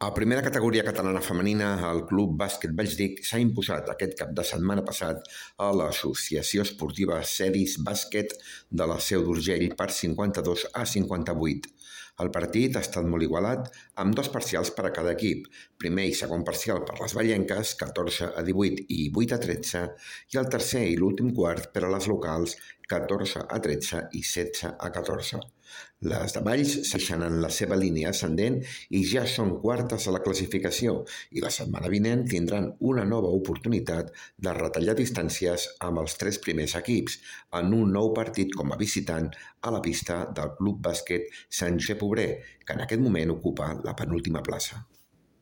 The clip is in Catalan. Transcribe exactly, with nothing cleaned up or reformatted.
A primera categoria catalana femenina, el Club Bàsquet Valldic s'ha imposat aquest cap de setmana passat a l'Associació Esportiva Ceris Bàsquet de la Seu d'Urgell per cinquanta-dos a cinquanta-vuit. El partit ha estat molt igualat, amb dos parcials per a cada equip. Primer i segon parcial per les vallenques, catorze a divuit i vuit a tretze, i el tercer i l'últim quart per a les locals, catorze a tretze i setze a catorze. Les de Valls segueixen en la seva línia ascendent i ja són quartes a la classificació i la setmana vinent tindran una nova oportunitat de retallar distàncies amb els tres primers equips en un nou partit com a visitant a la pista del Club Bàsquet Sant Josep Obrer, que en aquest moment ocupa la penúltima plaça.